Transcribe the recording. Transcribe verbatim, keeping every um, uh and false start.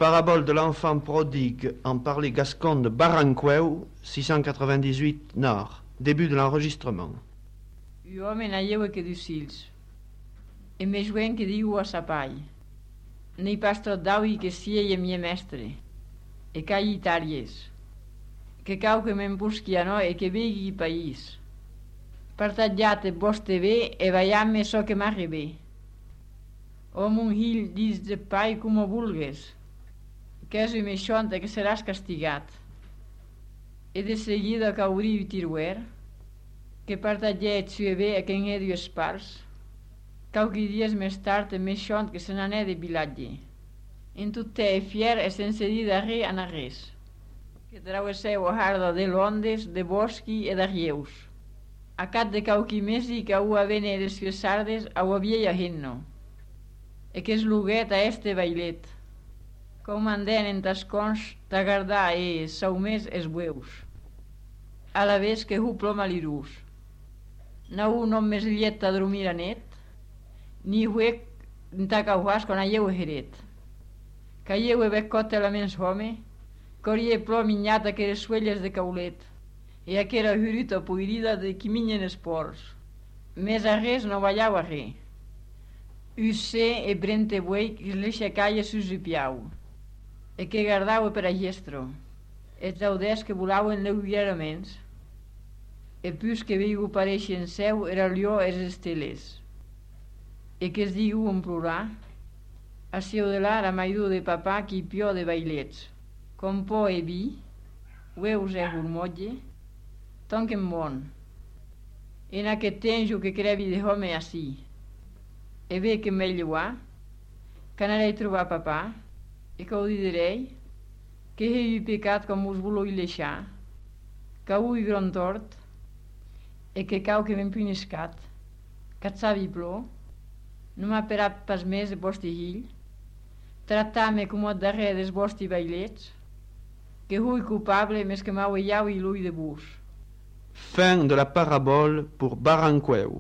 Parabole de l'enfant prodigue en parler gascon de Baranqueu, six cent quatre-vingt-dix-huit Nord. Début de l'enregistrement. Un home naieu que diu sils. E me juen que diu a sa pai. Nei pas tot d'aui que sia e mie mestre. E cai itàries. Que cau que me'n busqui a no e que vegui país. Partagiate vostre bé e vaiamme so que m'arribe. O mon hill dis de pai como vulgues. Que és un meixonte que seràs castigat. E de seguida caurí tiruer, que partaget sue bé a quen edu espars, cauqui dies més tard e meixont que se n'anè de vilatge. En tot e fier e sense dir darrer a res, que travesseu a harda de Londres, de bosqui e d'arrieus. A cat de cauqui mesi que au a vene les fiesardes au a vieia henno, e que es luguet a este bailet, com anden en tascons t'agardar e saumés es bueus, a la vez que hu ploma l'irús. Nau non més llet a dormir a net, ni huec n'ta cauhas quan aieu a heret. Caieu e beccote la mens home, corie plom minyata que les suelles de caulet, e aquera huruta puirida de qui minyen esports. Més a res no ballau a re. Usse e brente buei que l'eixa caia sus u piau, e que gardau per a gestro, e traudes que volauen lleugeraments, e pus que veigu pareixen seu era lió es esteles, e que es digu en plorar, a seu de l'ar a maidu de papà qui pió de bailets, com po e vi, ueus e hurmotge, tonquen bon, en aquest tenjo que crevi de home ací, e bé que me lleuà, que anarei trobar papà, e que ho direi, que he pecat com us voloi deixar, que hui gron tort, e que cau que m'hem puniscat, que et sabi plor, no m'ha perat pas més de vostre hill, tractar-me com et darrer des vostri bailets, que hui culpable més que m'au iau i l'ull de bus. Fin de la parabole pour Baranqueu.